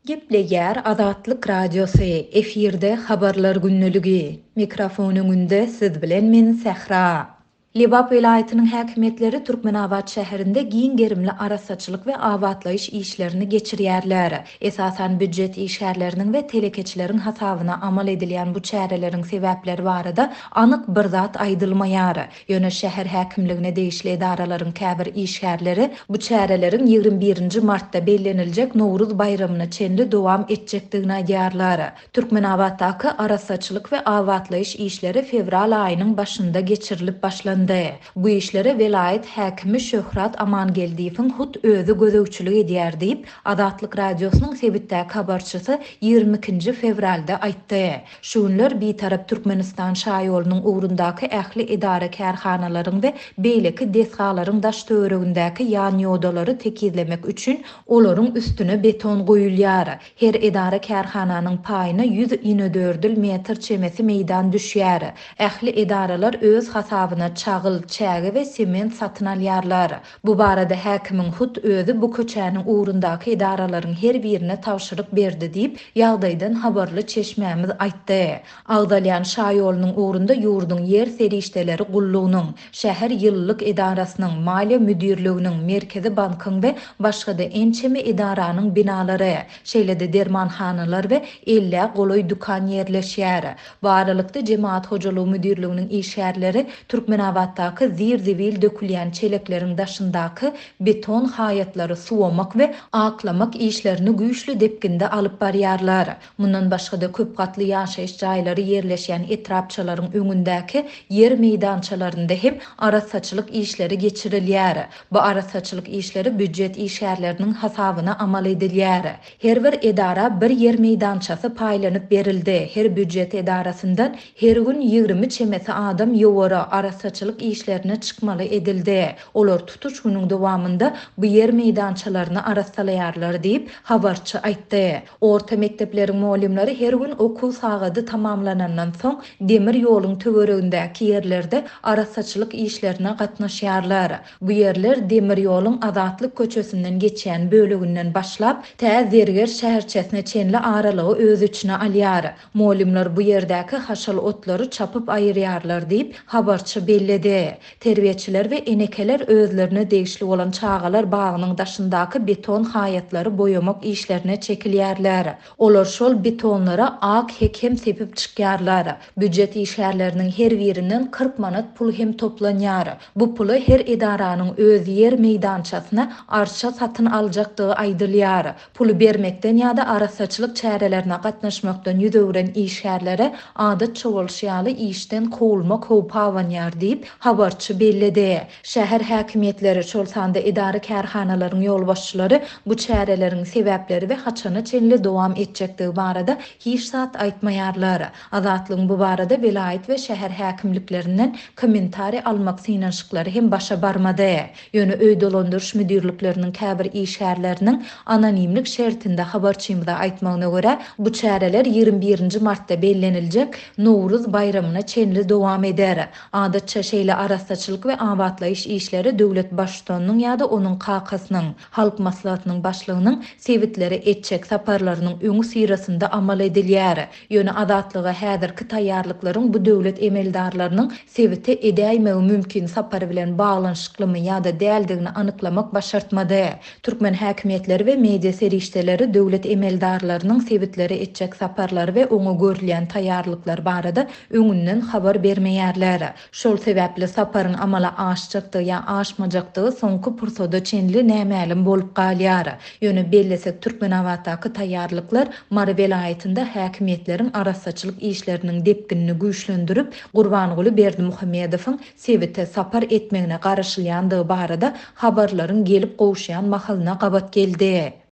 Gepleýär Azatlyk Radiosy, efirde Habarlar gündeligi. Mikrofon öňünde siz bilen men Sähra. Lebap welaýatynyň häkimiýetleri Türkmenabat şäherinde giň gerimli arassaçylyk we abatlaýyş işlerini geçirýärler. Esasan býujet işgärleriniň we telekeçileriň hasabyna amal edilýän bu çäreleriň sebäpleri barada anyk bir zat aýdylmaýar. Ýöne şäher häkimligine degişli edaralaryň käbir işgärleri bu çäreleriň 21 nji martda belleniljek Nowruz baýramyna çenli dowam etjekdigini aýdýarlar. Türkmenabatdaky arassaçylyk we abatlaýyş işleri fewral aýynyň başynda geçirilip başlandy. Bu işlere welaýat häkimi Şöhrat Amangeldiýewiň hut özi gözegçilik edýär diýip, Azatlyk Radiosynyň sebitdäki habarçysy 22 nji fewralda aýtdy. Şu günler Bitarap Türkmenistan şaýolunyň ugrundaky ähli edara-kärhanalaryň we beýleki desgalaryň daş-töweregindäki ýanýodalary tekizlemek üçin olaryň üstüne beton guýulýar. Her edara-kärhananyň paýyna ýüz inedördül metr çemesi meýdan düşýär. Ähli edaralar öz hasabyna çagyl, çäge we sement satyn alýarlar. Bu barada häkimiň hut özi bu köçäniň ugrundaky edaralaryň her birine tabşyryk berdi diýip, ýagdaýdan habarly çeşmämiz aýtdy. Agzalýan şaýolunyň ugrunda ýurduň ýer serişdeleri gullugynyň, şäher ýylylyk edarasynyň, maliýe müdirliginiň, Merkezi bankyň we başga-da ençeme edaranyň binalary, şeýle-de dermanhanalar we ellä golaý dükan ýerleşýär. Bu aralykda, Jemagat hojalygy müdirliginiň işgärleri Türkmenabatdaky zir-zibil dökülýän çelekleriň daşyndaky beton haýatlary suwamak we aklamak işlerini güýçli depginde alyp barýarlar. Mundan başga-da, köp gatly ýaşaýyş jaýlary ýerleşýän etrapçalaryň öňündäki ýer meýdançalarynda hem arassaçylyk işleri geçirilýär. Bu arassaçylyk işleri býujet işgärleriniň hasabyna amal edilýär. Her bir edara bir ýer meýdançasy paýlanyp berildi. Her býujet edarasyndan her gün 20 çemesi adam ýowara, arassaçylyk işlerine çykmaly edildi. Olar tutuş günüň dowamynda bu ýer meýdançalaryny arassalaýarlar diýip, habarçy aýtdy. Orta mekdepleriň mugallymlary her gün okuw sagady tamamlanandan soň demir ýoluň töweregindäki ýerlerde arassaçylyk işlerine gatnaşýarlar. Bu ýerler demir ýoluň Azatlyk köçesinden geçýän böleginden başlap, tä Zerger şäherçesine çenli aralygy öz içine alýar. Mugallymlar bu ýerdäki haşal otlary çapyp aýyrýarlar diýip, habarçy belledi. Terbiýeçiler we enekeler özlerine degişli bolan çagalar bagynyň daşyndaky beton haýatlary boýamak işlerine çekilýärler. Olar şol betonlara ak hek hem sepip çykýarlar. Býujet işgärleriniň her birinden 40 manat pul hem toplanýar. Bu pula her edaranyň öz ýer meýdançasyna arça satyn aljakdygy aýdylýar. Puly bermekden ýa-da arassaçylyk çärelerine gatnaşmakdan ýüz öwren işgärlere adatça bolşy ýaly işden kowulmak howpy abanýar diýip, habarçy belledi. Şäher häkimiýetleri, şol sanda edara-kärhanalaryň ýolbaşçylary bu çäreleriň sebäpleri we haçana çenli dowam etjekdigi barada hiç zat aýtmaýarlar. Azatlygyň bu barada welaýat we şäher häkimliklerinden kommentariý almak synanyşyklary hem başa barmady. Ýöne öý dolandyryş müdirlikleriniň käbir işgärleriniň anonimlik şertinde habarçymyza aýtmagyna görä, bu çäreler 21 nji martda belleniljek Nowruz baýramyna çenli dowam eder. Adatça şeýle arassaçylyk we abatlaýyş işleri döwlet Baştutanynyň ýa-da onuň kakasynyň, Halk Maslahatynyň Başlygynyň sebitlere etjek saparlarynyň öňüsyrasynda amal edilýär. Ýöne Azatlyga häzirki taýýarlyklaryň bu döwlet emeldarlarynyň sebite edäýmegi mümkin sapary bilen baglanyşyklymy ýa-da däldigini anyklamak başartmady. Türkmen häkimiýetleri we media serişdeleri döwlet emeldarlarynyň sebitlere etjek saparlary we oňa görülýän taýýarlyklar barada öňünden habar bermeýärler. Şol sebäpli saparyň amala aşjakdygy ýa aşmajakdygy soňky pursada çenli nämälim bolup galýar. Ýöne bellesek Türkmenabatdaky taýýarlyklar Mary welaýatynda häkimiýetleriň arassaçylyk işleriniň depginini güýçlendirip, Gurbanguly Berdimuhamedowyň sebite sapar etmegine garaşylýandygy barada habarlaryň gelip gowuşýan mahalyna gabat geldi.